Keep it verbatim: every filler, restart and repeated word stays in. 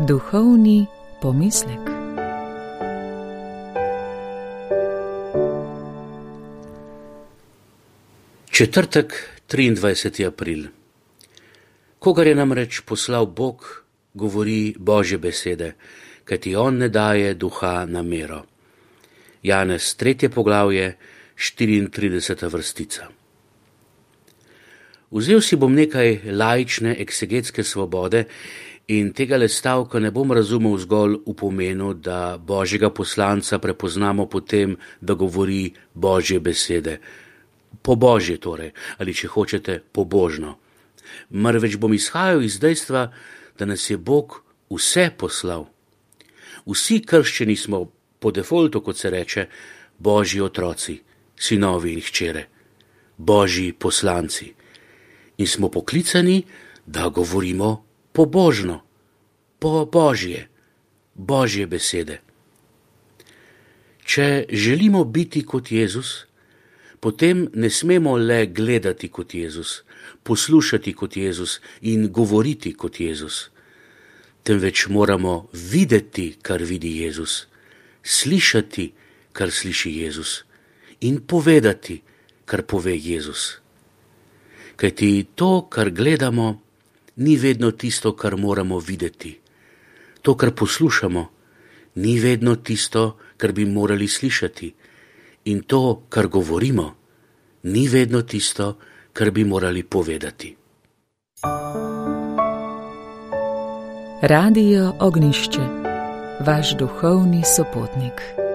Duhovni pomislek. Četrtek, triindvajseti april. Kogar je namreč poslal Bog, govori Božje besede, kajti on ne daje duha na mero. Janez, tretje poglavje, štiriintrideseta vrstica. Vzel si bom nekaj laične eksegetske svobode in tega le stavka ne bom razumel zgolj v pomenu, da Božjega poslanca prepoznamo po tem, da govori Božje besede. Po Božje torej, ali če hočete, pobožno. Marveč bom izhajal iz dejstva, da nas je Bog vse poslal. Vsi krščeni smo po defaultu, kot se reče, Božji otroci, sinovi in hčere, Božji poslanci. In smo poklicani, da govorimo pobožno, po Božje, Božje besede. Če želimo biti kot Jezus, potem ne smemo le gledati kot Jezus, poslušati kot Jezus in govoriti kot Jezus, temveč moramo videti, kar vidi Jezus, slišati, kar sliši Jezus in povedati, kar pove Jezus. Kajti to, kar gledamo, ni vedno tisto, kar moramo videti. To, kar poslušamo, ni vedno tisto, kar bi morali slišati. In to, kar govorimo, ni vedno tisto, kar bi morali povedati. Radio Ognjišče, vaš duhovni sopotnik.